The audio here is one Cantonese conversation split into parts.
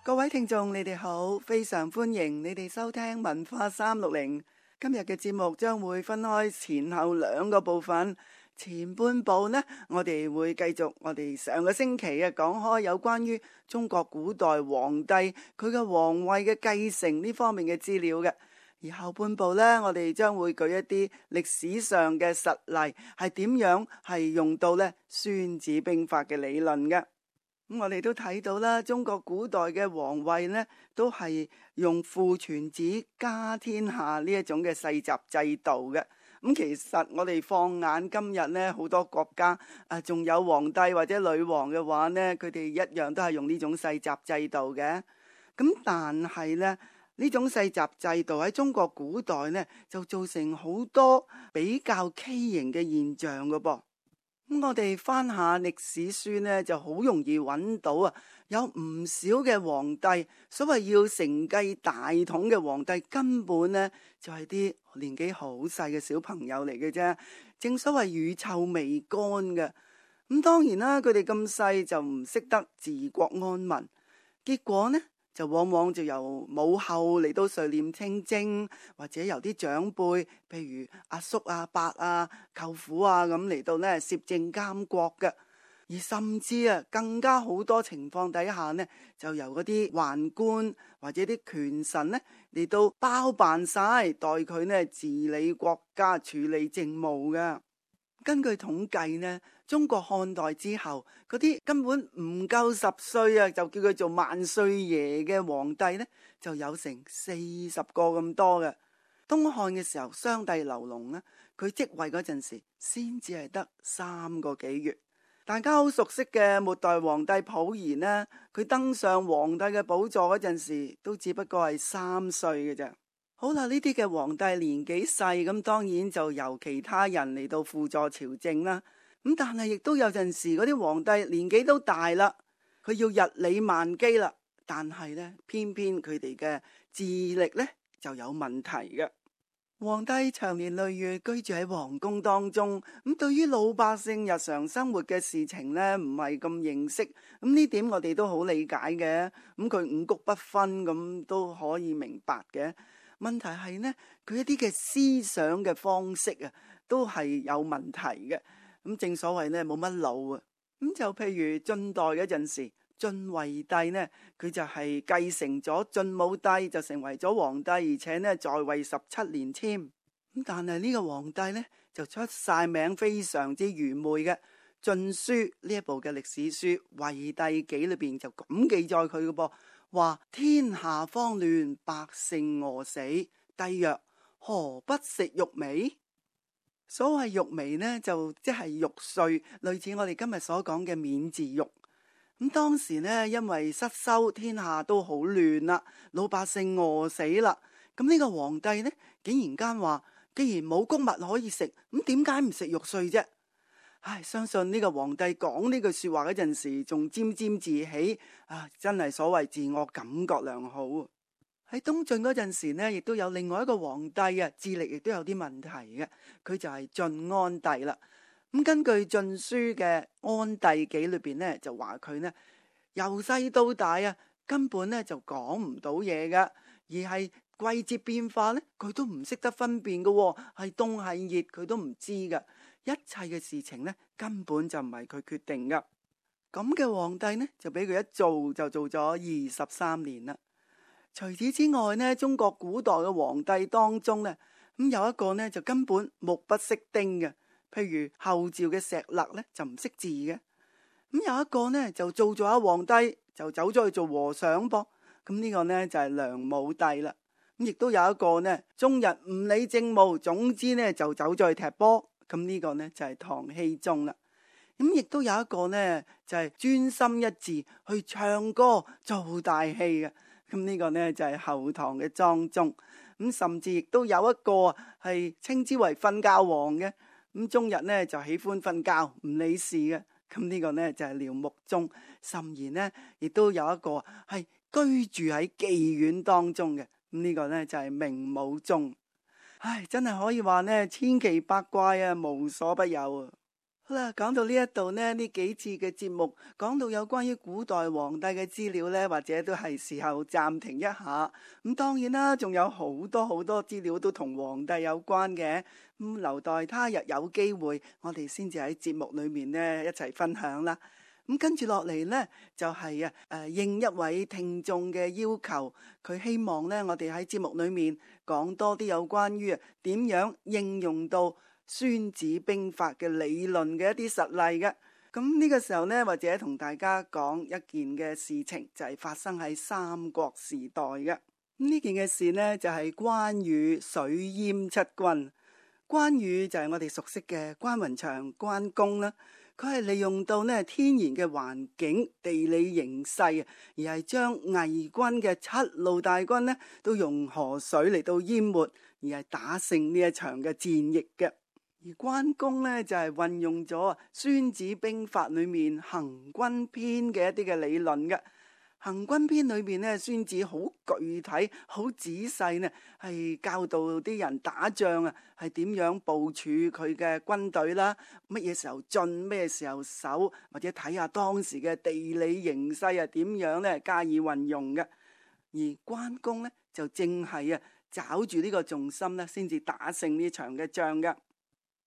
各位聽眾，你哋好，非常歡迎你哋收聽文化360。今日嘅節目將會分開前後兩個部分。前半部呢，我哋會繼續我哋上個星期講開有關於中國古代皇帝佢嘅皇位嘅繼承呢方面嘅資料嘅。而後半部呢，我哋將會舉一啲歷史上嘅實例，係點樣係用到呢孫子兵法嘅理論嘅。咁我哋都睇到啦，中國古代嘅皇位呢，都係用父傳子家天下呢一種嘅世襲制度嘅。咁其實我哋放眼今日呢，好多國家仲有皇帝或者女王嘅話呢，佢哋一樣都係用呢種世襲制度嘅。咁但係呢，呢種世襲制度喺中國古代呢，就造成好多比較畸形嘅現象㗎噃。咁我哋翻下歷史書呢，就好容易揾到有唔少嘅皇帝，所謂要承繼大統嘅皇帝，根本呢就係啲年紀好細嘅小朋友嚟嘅啫。正所謂乳臭未乾嘅。咁當然啦，佢哋咁細就唔識得治國安民，結果呢，就往往就由母后嚟到垂簾聽政，或者由啲長輩，譬如阿叔啊、伯啊、舅父啊咁嚟到呢攝政監國嘅。而甚至更加好多情況底下呢，就由嗰啲宦官或者啲權臣呢嚟到包辦晒，代佢呢治理國家、處理政務嘅。根據統計呢，中國漢代之後嗰啲根本唔夠10歲就叫佢做萬歲爺嘅皇帝呢，就有成40個咁多嘅。東漢嘅時候，商帝劉隆呢，佢即位嗰陣時先至係得3個幾月。大家好熟悉嘅末代皇帝溥儀呢，佢登上皇帝嘅寶座嗰陣時都只不過係3歲嘅啫。好啦，呢啲嘅皇帝年紀細，咁當然就由其他人嚟到輔助朝政啦。咁但係亦都有陣時嗰啲皇帝年紀都大啦，佢要日理萬機啦，但係呢，偏偏佢哋嘅智力呢就有問題嘅。皇帝長年累月居住喺皇宮當中，咁對於老百姓日常生活嘅事情呢，唔係咁認識。咁呢點我哋都好理解嘅。咁佢五穀不分咁都可以明白嘅。問題係呢，佢一啲嘅思想嘅方式都係有問題嘅。咁正所謂呢，冇乜腦啊。咁就譬如晉代嗰陣時，晉惠帝呢，佢就係繼承咗晉武帝，就成為咗皇帝，而且呢在位17年添。咁但係呢個皇帝呢，就出晒名非常之愚昧嘅。晉書呢一部嘅歷史書《惠帝紀》裏邊就咁記載佢嘅噃，話天下慌亂，百姓餓死。帝曰：何不食肉糜？所謂肉糜呢，就即係肉碎，類似我哋今日所講嘅免治肉。咁當時呢，因為失收，天下都好亂啦，老百姓餓死啦。咁呢個皇帝呢，竟然間話，既然冇穀物可以食，咁點解唔食肉碎啫？唉，相信呢個皇帝講呢句說話嗰陣時，仲沾沾自喜真係所謂自我感覺良好。喺東晉嗰陣時呢，亦都有另外一個皇帝智力亦都有啲問題嘅，佢就係晉安帝啦。咁根據《晉書》嘅《安帝紀》裏邊呢，就話佢呢由細到大根本呢就講唔到嘢㗎，而係季節變化呢，佢都唔識得分辨㗎，係凍係熱佢都唔知㗎，一切嘅事情呢，根本就唔係佢決定㗎。咁嘅皇帝呢，就俾佢一做就做咗23年啦。除此之外呢，中國古代嘅皇帝當中呢，咁有一個呢就根本目不識丁嘅。譬如後趙嘅石勒呢，就唔識字嘅。咁有一個呢就做咗皇帝，就走咗去做和尚噃。咁呢個呢就係梁武帝啦。咁亦都有一個呢終日唔理政務，總之呢就走咗去踢波。咁呢個呢就係唐僖宗啦。咁亦都有一個呢就係專心一致去唱歌做大戲嘅。咁呢個呢就係後唐嘅莊宗。咁甚至亦都有一個係稱之為瞓覺王嘅。咁終日呢就喜歡瞓覺唔理事嘅。咁呢個呢就係廖穆宗。甚言呢亦都有一個係居住喺妓院當中嘅。咁呢個呢就係明武宗。唉，真係可以話呢千奇百怪無所不有。好啦，講到呢一度呢，呢幾次嘅節目講到有關於古代皇帝嘅資料呢，或者都係時候暫停一下。咁當然啦，仲有好多好多資料都同皇帝有關嘅，咁留待他日有機會，我哋先至喺節目裏面呢一齊分享啦。咁跟住落嚟呢，就係應一位聽眾嘅要求，佢希望呢，我哋喺節目裏面講多啲有關於點樣應用到孫子兵法嘅理論嘅一啲實例嘅。咁呢個時候呢，或者同大家講一件嘅事情，就係發生喺三國時代嘅。呢件嘅事呢，就係關羽水淹七軍。關羽就係我哋熟悉嘅關雲長關公啦。佢係利用到呢天然嘅環境、地理形勢，而係將魏軍嘅七路大軍呢都用河水嚟到淹沒，而係打勝呢一場嘅戰役嘅。而關公呢，就係運用咗《孫子兵法》裏面行軍篇嘅一啲嘅理論嘅。行軍篇裏邊呢，孫子好具體、好仔細呢，係教導啲人打仗啊，係點樣部署佢嘅軍隊啦，乜嘢時候進，咩時候守，或者睇下當時嘅地理形勢啊，點樣呢加以運用嘅。而關公呢，就正係抓住呢個重心呢，先至打勝呢場嘅仗嘅。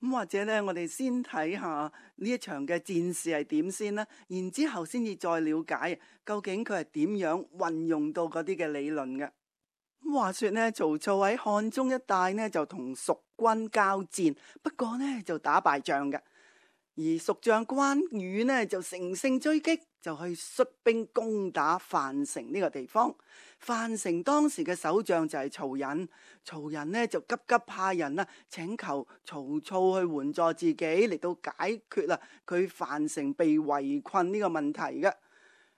咁或者呢，我哋先睇下呢一場嘅戰事係點先啦，然之後先至再了解究竟佢係點樣運用到嗰啲嘅理論嘅。咁話說呢，曹操喺漢中一帶呢就同蜀軍交戰，不過呢就打敗仗嘅。而蜀將關羽呢就乘勝追擊，就去率兵攻打樊城呢個地方。樊城當時嘅守將就係曹仁，曹仁呢就急急派人請求曹操去援助自己嚟到解決啦佢樊城被圍困呢個問題嘅。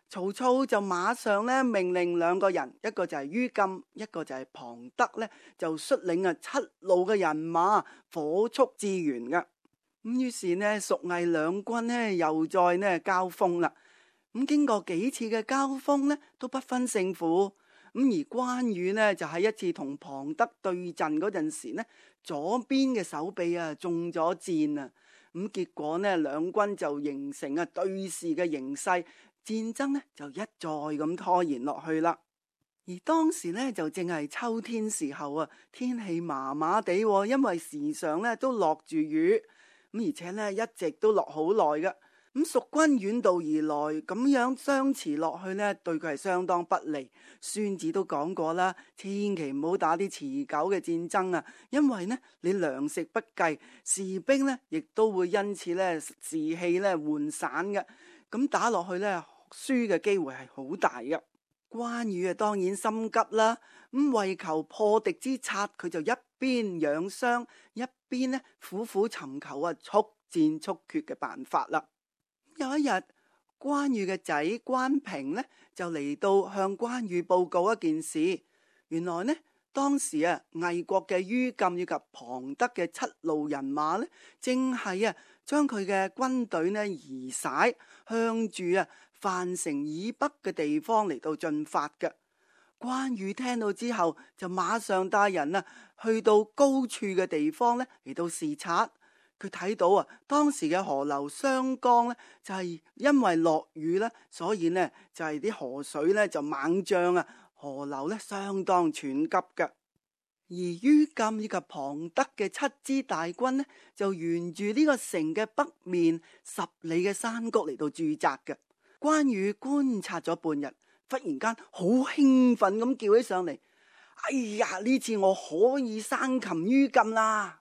曹操就馬上呢命令兩個人，一個就係于禁，一個就係龐德呢就率領七路嘅人馬火速支援嘅。咁於是呢，蜀魏兩軍呢又再呢交鋒啦。咁經過幾次嘅交鋒呢，都不分勝負。咁而關羽呢，就喺一次同龐德對陣嗰陣時呢，左邊嘅手臂中咗箭啊。咁結果呢，兩軍就形成對峙嘅形勢，戰爭呢就一再咁拖延落去啦。而當時呢，就正係秋天時候啊，天氣麻麻地，因為時常呢都落住雨。而且呢，一直都落好耐嘅。咁蜀軍遠道而來，咁樣相持落去呢，對佢係相當不利。孫子都講過啦，千祈唔好打啲持久嘅戰爭啊，因為呢，你糧食不繼，士兵呢亦都會因此呢士氣呢渙散嘅。咁打落去呢，輸嘅機會係好大嘅。關羽當然心急啦，咁為求破敵之策，佢就一邊養傷，一邊呢苦苦尋求速戰速決嘅辦法啦。有一日，關羽嘅仔關平呢就嚟到向關羽報告一件事。原來呢，當時魏國嘅于禁以及龐德嘅七路人馬呢，正係將佢嘅軍隊呢移徙向住樊城以北嘅地方嚟到進發嘅。關羽聽到之後，就馬上帶人去到高處嘅地方呢嚟到視察。佢睇到當時嘅河流湘江呢，就係因為落雨呢，所以呢就係啲河水呢就猛漲啊，河流呢相當湍急嘅。而于禁以及龐德嘅七支大軍呢，就沿住呢個城嘅北面10里嘅山谷嚟到駐紮嘅。關羽觀察咗半日，忽然間好興奮咁叫起上嚟：哎呀！呢次我可以生擒于禁啦！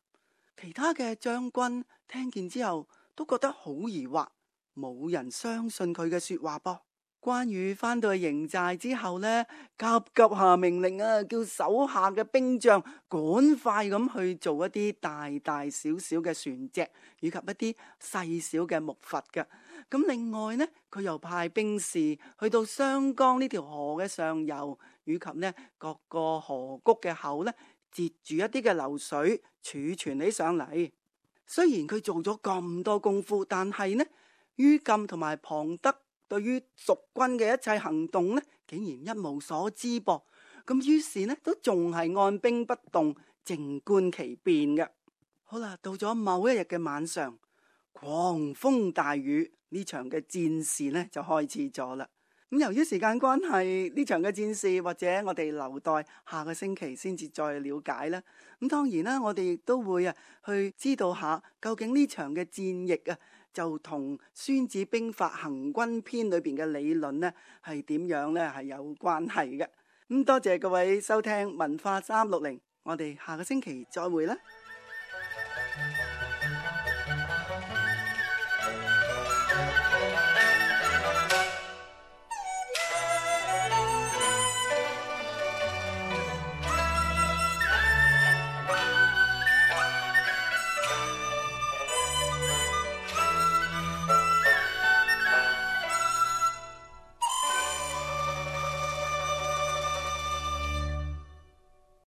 其他嘅將軍聽見之後都覺得好疑惑，冇人相信佢嘅說話噃。關羽返到去營寨之後呢，急急下命令叫手下嘅兵將趕快咁去做一啲大大小小嘅船隻，以及一啲細小嘅木筏嘅。咁另外呢，佢又派兵士去到湘江呢條河嘅上游，以及呢各個河谷嘅口呢，截住一啲嘅流水儲存起上嚟。雖然佢做咗咁多功夫，但係呢，于禁同埋龐德對於蜀軍嘅一切行動呢，竟然一無所知噃。咁於是呢，都仲係按兵不動，靜觀其變嘅。好啦，到咗某一日嘅晚上，狂風大雨，呢場嘅戰事呢就開始咗啦。咁由於時間關係，呢場嘅戰事或者我哋留待下個星期先至再了解啦。咁當然啦，我哋亦都會去知道下究竟呢場嘅戰役就同《孫子兵法·行軍篇》裏邊嘅理論呢係點樣呢？係有關係嘅。咁多謝各位收聽文化360，我哋下個星期再會啦。